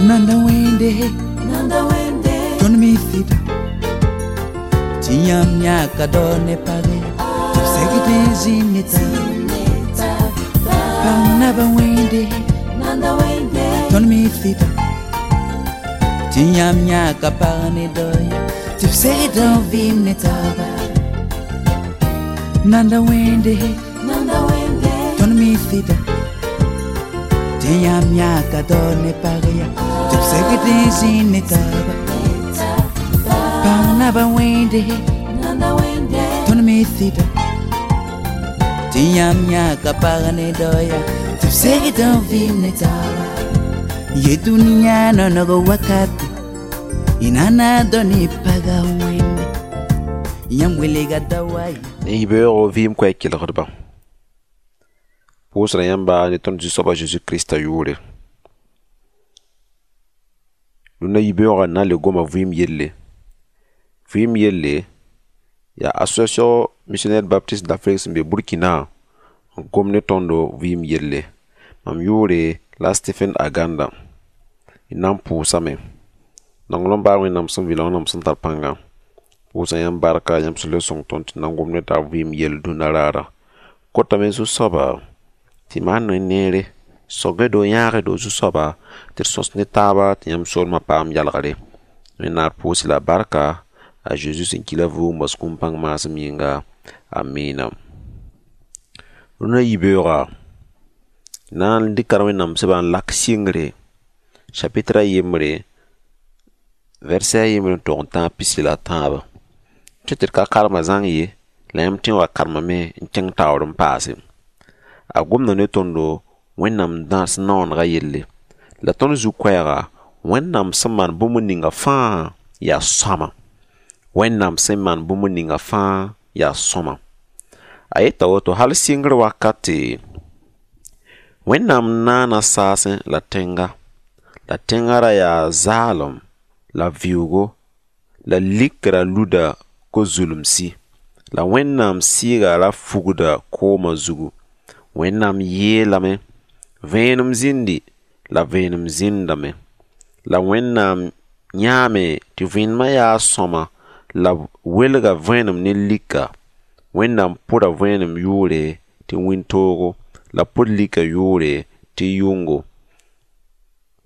Nanda wẽnde, Nanda wende, tõnd mi sɩda tɩ yãmb yãka dao ne page tɩ b segd n zĩnd ne taaba. Neta, Pag naba wẽnde, Nanda wende, tõnd mi sɩda tɩ yãmb yãka pag ne dao ya tɩ b segd n vɩɩm ne taaba. Nanda wẽnde, Nanda wende, tõnd mi sɩda tɩ yãmb yãka dao ne pag ya tɩ b segd n zĩnd ne taaba. Pag naba wẽnde, Nanda wende, tõnd mi sɩda tɩ yãmb yãka pag ne dao ya tɩ b segd n vɩɩm ne taaba. Ye dũniyã nonog wakate y nana dao ne paga wẽnde yãmb welga da wa ye. Ne yibeoogo vɩɩm koɛɛg kelgdba, pʋʋsra yãmba ne tõnd Zu-soaba Zeezi Krista yʋʋre. Rũndã yibeoogã na n le goma vɩɩm yelle. Vɩɩm yelle yaa Association Missionnaire Baptiste d'Afrique sẽn be Burkina n gom ne tõndo vɩɩm yelle. Mam yʋʋre la Stephen Aganda. D na n pʋʋsame. Nonglem baar Wẽnnaam sẽn vɩ la Wẽnnaam sẽn tar pãnga. Pʋʋsa yãmb barka, yãmb sẽn le sõng tõnd tɩ na n gom ne taab vɩɩm yell dũnna raara. Kotame Zu-soaba tɩ maan ne neere, sog-y-do, yãag-y-do Zu-soaba tɩ d sõs ne taaba tɩ yãmb soolmã paam yalgre. Wẽnnaam pʋʋs la barka a Zeezi sẽn ki la vʋʋg n bas kũum pãng maasem yĩnga. Amina. Rũndã yibeoogã na n dɩka Wẽnnaam sẽba n lak sɩngre chapitre a yembre vɛrsɛ a yembre n tog n tãag pisi la tãabã. Tɩ tɩ d ka karema zãng ye, la yãmb tõe n wa karemame n kẽng taoor n paase. A gomda ne tõndo Wẽnnaam dãs naoonegã yelle. La tõnd zu-koɛɛga, Wẽnnaam sẽn maan bũmb ninga fãa yaa sõama. Wẽnnaam sẽn maan bũmb ninga fãa yaa sõama. A yeta woto hal sɩngr wakate, Wẽnnaam naana saasẽ la tẽnga. La tẽngã ra yaa zaalem la vɩʋʋgo la likra luda ko-zulumsi. La Wẽnnaam sɩɩga ra fugda koomã zugu. Wẽnnaam yeelame, vẽenem zĩndi la vẽenem zĩndame. La Wẽnnaam yãame tɩ vẽenemã yaa sõama la b welga vẽenem ne lika. Wẽnnaam pʋda vẽenem yʋʋre tɩ wĩntoogo la pʋd lika yʋʋre tɩ yʋngo.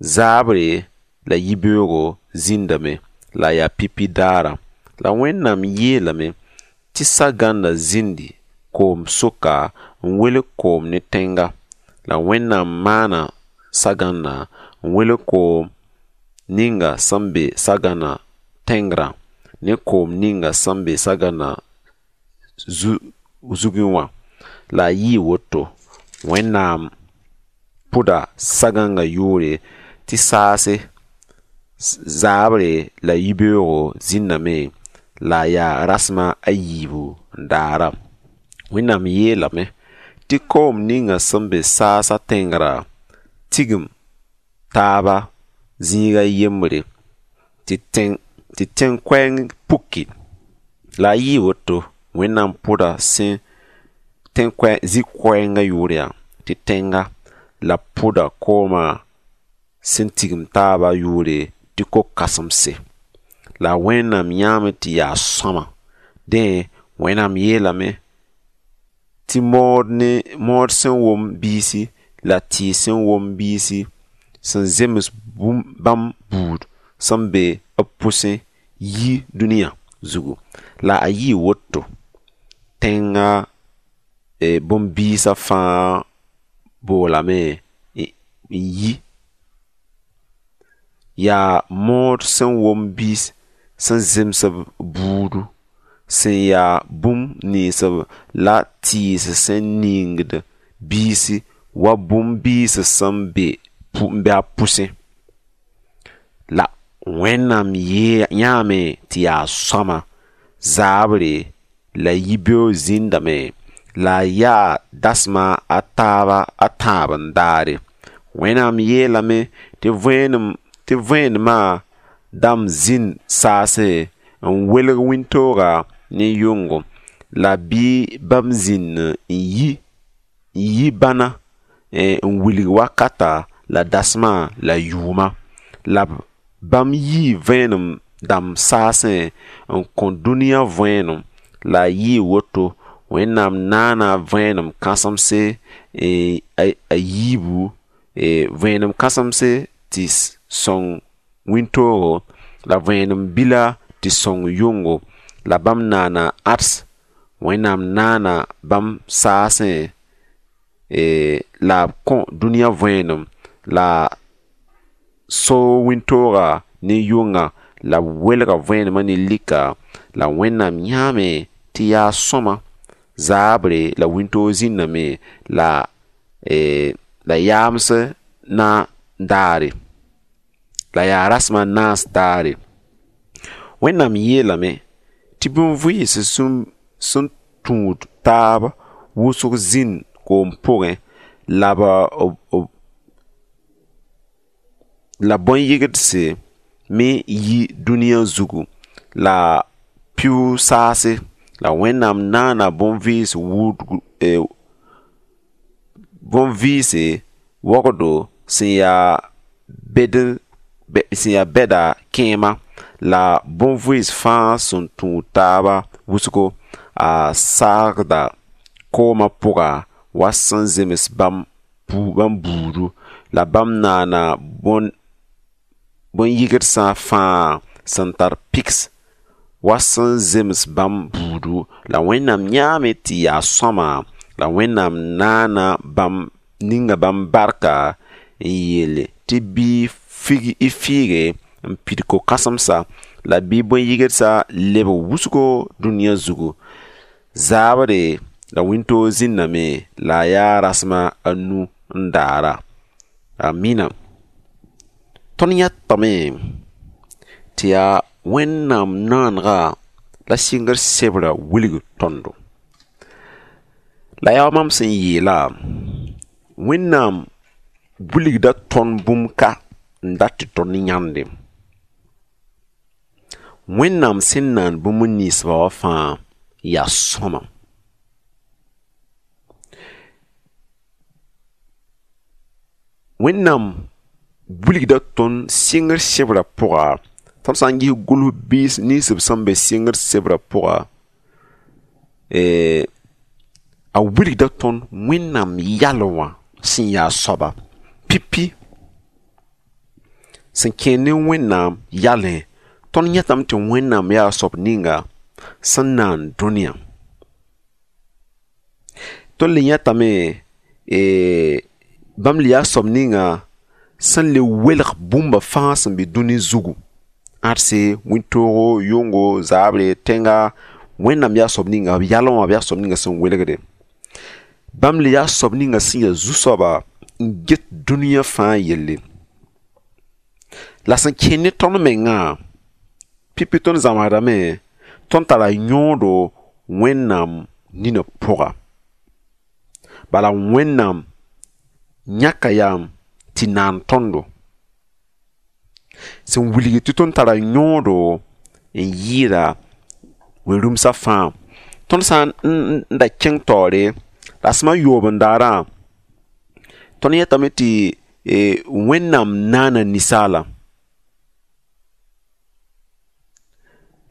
Zaabre la yibeoogo zĩndame la yaa pipi daara. La Wẽnnaam yeelame tɩ sagãndã zĩndi koom sʋka n welg koom ne tẽnga. La Wẽnnaam maana sagãndã n welg koom ninga sẽn be sagãnã tẽngrã ne koom ninga sẽn be sagãnã zugẽ wã. La a yɩɩ woto, Wẽnnaam pʋda sagãngã yʋʋre tɩ saase zaabre la yibeoogo zĩndame la a yaa rasem a yiibu n daara. Wẽnnaam yeelame tɩ koom ninga sẽn be saasã tẽngrã tigim taaba zĩiga yembre tɩ tẽn-koɛɛng puki. La a yɩɩ woto, Wẽnnaam pʋda sẽn zĩ-koɛɛngã yʋʋr yaa tɩ tẽnga la pʋda koomã sẽn tigim taaba yʋʋre tɩ ko-kãsemse. La Wẽnnaam yãame tɩ yaa sõama. Dẽ, Wẽnnaam yeelame tɩ mood sẽn wom biisi la tɩɩs sẽn wom biisi sẽn zems bãmb buud sẽn be b pʋsẽ yi dũniyã zugu. La a yɩɩ woto, tẽngã bõn-biisã fãa boolame n yi. Yaa mood sẽn wom biis sẽn zems b buudu, sẽn yaa bũmb nins la tɩɩs sẽn ningd biisi wa bũmb-biis sẽn be a pʋsẽ. La Wẽnnaam yãame tɩ yaa sõama, zaabre la yibeoog zĩndame la a yaa dasma a taaba a tãab n daare. Wẽnnaam yeelame tɩ vẽenemã dãmb zĩnd saase n welg wĩntooga ne yʋngo la bɩ bãmb zĩnd n yi bãna n wilg wakata la dasmã la yʋʋma. La bãmb yii vẽenem dãmb saasẽ n kõ dũniyã võenem. La a yɩɩ woto, Wẽnnaam naana vẽenem kãsemse a yiibu, vẽenem kãsemse tɩ sõng wĩntoogo, la vẽenem bila tɩ sõng yʋngo. La bãmb naana ãds, Wẽnnaam naana bãmb saasẽ, la b kõ dũniyã võenem la so wĩntooga ne yʋngã, la b welga vẽenemã ne lika. La Wẽnnaam yãame tɩ yaa sõma. Zaabre la wĩntoog zĩndame la yaams na daare, la yaa rasem a naas daare. Wẽnnaam yeelame tɩ bũn-vɩɩs sẽn tũud taab wʋsg zĩnd koom pʋgẽ, la bõn-yɩgdse me yi dũniyã zugu, la pɩʋ saase. La Wẽnnaam naana bõn-vɩɩs wʋʋdg, bõn-vɩɩse wogdo sẽn yaa bed, sẽn yaa bɛda kẽema, la bõn-vɩɩs fãa sẽn tũud taaba wʋsgo, a saagda koomã pʋga wa sẽn zems bãmb buudu. La bãmb naana bõn-yɩgdsã fãa sẽn tar piks wa sẽn zems bãmb buudu. La Wẽnnaam yãame tɩ yaa sõama. La Wẽnnaam naana bãmb ninga bãmb barka n yeele tɩ bɩ y fiige n pid ko-kãsemsa, la bɩ bõn-yɩgdsã lebg wʋsgo dũniyã zugu. Zaabre la wĩntoog zĩndame, la a yaa rasem a nu n daara. Amina. Tõnd yãtame tɩ yaa Wẽnnaam naanega la sɩngr sebrã wilg tõndo. La yaa wa mam sẽn yeela, Wẽnnaam wilgda tõnd bũmb ka n dat tɩ tõnd yãnde. Wẽnnaam sẽn naan bũmb ninsba wã fãa yaa sõama. Wẽnnaam wilgda tõnd sɩngr sebrã pʋga, tõnd sã n ges gʋls biis nins b sẽn be sɩngr sebrã pʋga, a wilgda tõnd Wẽnnaam yal wã sẽn yaa soaba pipi sẽn kẽer ne Wẽnnaam yalẽ. Tõnd yãtame tɩ Wẽnnaam yaa soab ninga sẽn naan dũniyã. Tõnd le yãtame bãmb le yaa soab ninga sẽn le welg bũmba fãa sẽn be dũni zugu. Ãdse, wĩntoogo, yʋngo, zaabre, tẽnga, Wẽnnaam yaa soab ninga, b yalẽ wã b yaa soab ninga sẽn welgde. Bãmb le yaa soab ninga sẽn yaa zu-soaba n get dũniyã fãa yelle. La sẽn kẽer ne tõnd mengã, pipi tõnd zãmsdame, tõnd tara yõodo Wẽnnaam ninã pʋga. Bala Wẽnnaam yãka yam tɩ naan tõndo. Sẽn wilg tɩ tõnd tara yõodo n yɩɩda wẽn-rũmsã fãa. Tõnd sã n da kẽng taoore, rasem a yoob n daarã, tõnd yetame tɩ Wẽnnaam naana ninsaala.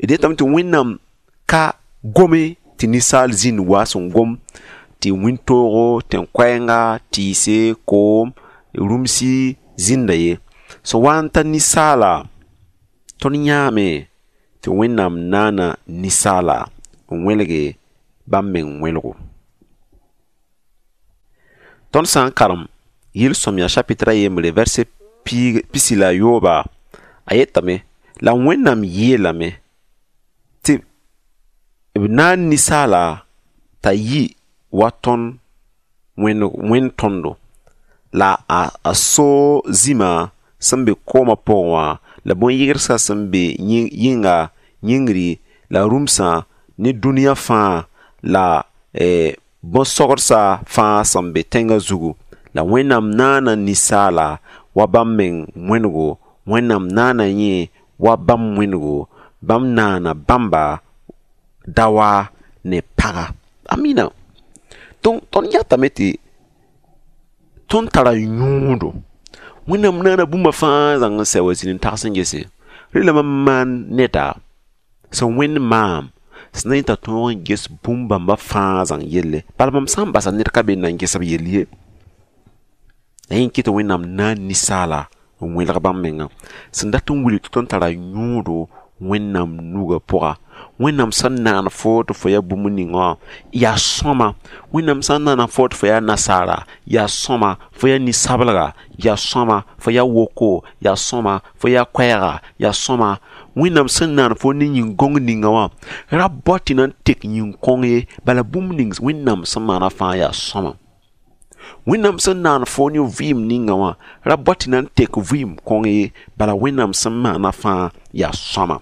D yetame tɩ Wẽnnaam ka gome tɩ ninsaal zĩnd wa sẽn gom tɩ wĩntoogo, tẽn-koɛɛnga, tɩɩse, koom, rũmsi zĩnda ye. Sẽn wa n ta ninsaala, tõnd yãame tɩ Wẽnnaam naana ninsaala n wẽlge bãmb meng wẽlgo. Tõnd sã n karem yel-sõmyã chapitre a yembre verset pisi la yooba, a yetame la Wẽnnaam yeelame tɩ b naan ninsaala t'a yɩ wa tõnd wẽnd tõndo, la a so zĩma sẽn be koomã pʋgẽ wã, la bõn-yɩgdsã sẽn be yĩnga yĩngri la rũmsã ne dũniyã fãa, la bõn-sogdsa fãa sẽn be tẽngã zugu. La Wẽnnaam naana ninsaala wa bãmb meng wẽnego, Wẽnnaam naana yẽ wa bãmb wẽnego, bãmb naana bãmba daoa ne paga. Amina. Donc, tõnd yãtame tɩ tõnd tara yõodo. Wẽnnaam naana bũmba fãa zãng n sɛ wa zĩnd n tags n gese. Rẽ la mam maan neda sẽn wẽnd maam sẽn na yẽ t'a tõog n ges bũmb bãmba fãa zãng yelle. Bala mam sã n basa ned ka be n na n ges b yell ye. La yẽ kɩ tɩ Wẽnnaam naan ninsaala n wẽlg bãmb menga sẽn dat n wilg tɩ tõnd tara yõodo Wẽnnaam nugã pʋga. Wẽnnaam sẽn naan fo tɩ fo yaa bũmb ninga wã yaa sõma. Wẽnnaam sẽn naana fo tɩ fo yaa nasaara yaa sõma, fo yaa ninsablega yaa sõma, fo yaa woko yaa sõma, fo yaa koɛɛga yaa sõma. Wẽnnaam sẽn naan fo ne yĩn-gõng ninga wã ra bao tɩ na n tek yĩn-kõng ye, bala bũmb ning Wẽnnaam sẽn maana fãa yaa sõma. Wẽnnaam sẽn naan fo ne vɩɩm ninga wã ra bao tɩ na n tek vɩɩm kõng ye, bala Wẽnnaam sẽn maana fãa yaa sõma.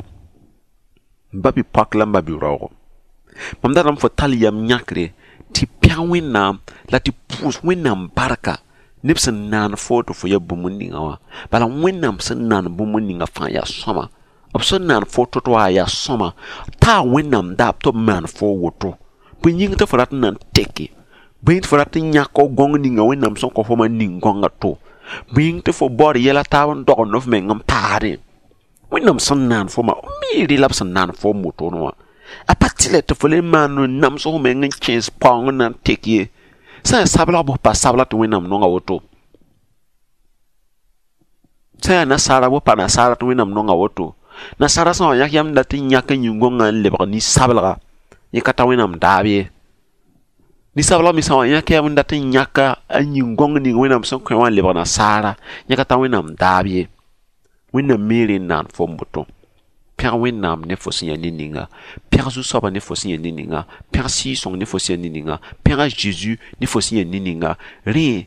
M ba bi-poak la m ba bi-raoogo, mam datame fo tall yam yãkre tɩ pẽg Wẽnnaam la tɩ pʋʋs Wẽnnaam barka neb sẽn naan fo tɩ fo yaa bũmb ninga wã. Bala Wẽnnaam sẽn naan bũmb ninga fãa yaa sõma. B sẽn naan fo to-to wã yaa sõma. Taa Wẽnnaam daab tɩ b maan fo woto. Bõe yĩng tɩ fo rat n na n teke? Bõe yĩng tɩ fo rat n yãk f gõng ninga Wẽnnaam sẽn kõ fo wã ning-gõngã to? Bõe yĩng tɩ fo baood yɛla taab n dogend f meng n paasdẽ? Wẽnnaam sẽn naan fo ma, mi rɩ la b sẽn naan fo n wotone wã. A pa tɩlɛ tɩ fo le maan n nams f meng n kẽes paoong n na n tek ye. Sã n yaa sablg bʋs pa sabla tɩ Wẽnnaam nonga woto. Sã n yaa nasaara bʋs pa nasaara tɩ Wẽnnaam nonga woto. Nasaara sã n wa yãk yam dat n yãk n yĩn-gõngã n lebg nin-sablega, yẽ ka ta Wẽnnaam daab ye. Nin-sablg me sã n wa yãk yam n dat n yãka a yĩn-gõng ning Wẽnnaam sẽn kõ wã n lebg nasaara, yẽ ka ta Wẽnnaam daab ye. Wẽnnaam me rẽ n naan fo n boto. Pẽg Wẽnnaam ne fo sẽn yaa ned ninga. Pẽg Zu-soabã ne fo sẽn yaa ned ninga. Pẽg Sɩɩg-sõng ne fo sẽn yaa ned ninga. Pẽg a Zeezi ne fo sẽn yaa ned ninga. Rẽ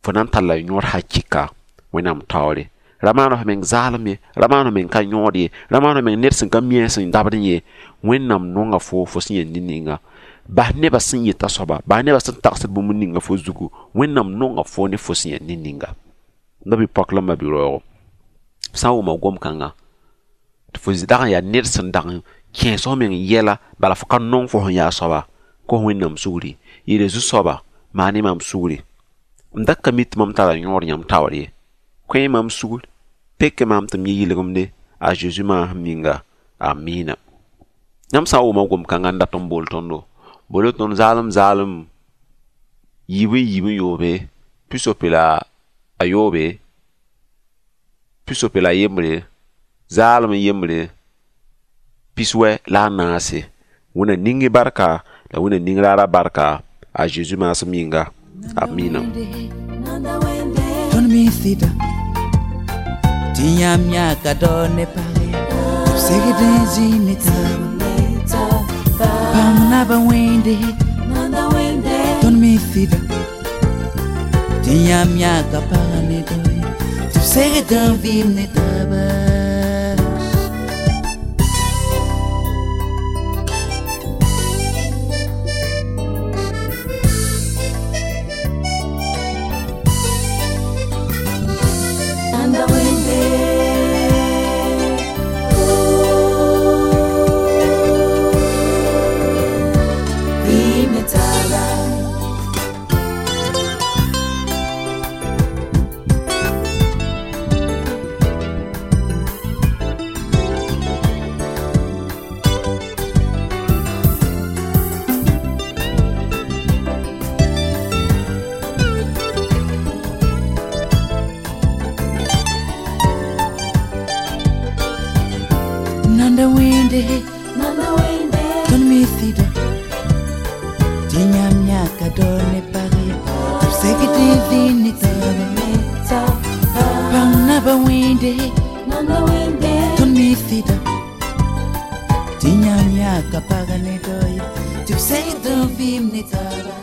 fo na n talla yõod hakɩka Wẽnnaam taoore. Ra maan f meng zaalem ye, ra maan f meng ka yõod ye, ra maan f meng ned sẽn ka mi a sẽn dabdẽ ye. Wẽnnaam nonga fo fo sẽn yaa ned ninga. Bas nebã sẽn yeta soaba, bas nebã sẽn tagsd bũmb ninga fo zugu, Wẽnnaam nonga fo ne fo sẽn yaa ned ninga. M ba bi-poak la m ba bi-raoogo, sã n wʋma gom-kãnga tɩ fo dag n yaa ned sẽn dag n kẽes f meng yɛla, bala fo ka nong fo sẽn yaa soaba, kos Wẽnnaam sugri. Yeele Zu-soaba, maan-y maam sugri. M da ka mi tɩ mam tara yõod yãmb taoor ye. Kõ-y maam sugr, pek maam tɩ m yẽ yɩlgemde a Zeezi maasem yĩnga. Amiina. Yãmb sã n wʋma gom-kãngã n dat n bool tõndo, bool tõnd zaalem zaalem yiib n yiib n yoobe, pisope la a yoobe, pisope la yembre, zaalem n yembre, piswɛ la a naase. Wẽnna ning y barka la Wẽnna ning raara barka a Zeezi maasem yĩnga. Amiina. Tõnd me sɩda tɩ yãmb yãka dao ne page b segd n zĩ ne taaba. Bãmb naba wẽnde tõnd me sɩda tɩ yãmb yãka paga ne dao ye tɩ b segd n vɩɩm ne taaba. Nanda wende, Nanda wende, tõnd me sɩda tɩ yãmb yãka dao ne pag ye tɩ b segd n zĩ ne taaba. Bãng naba wẽnde, Nanda wende, tõnd me sɩda tɩ yãmb yãka pag ne dao ye tɩ b segd n vɩɩm ne taaba.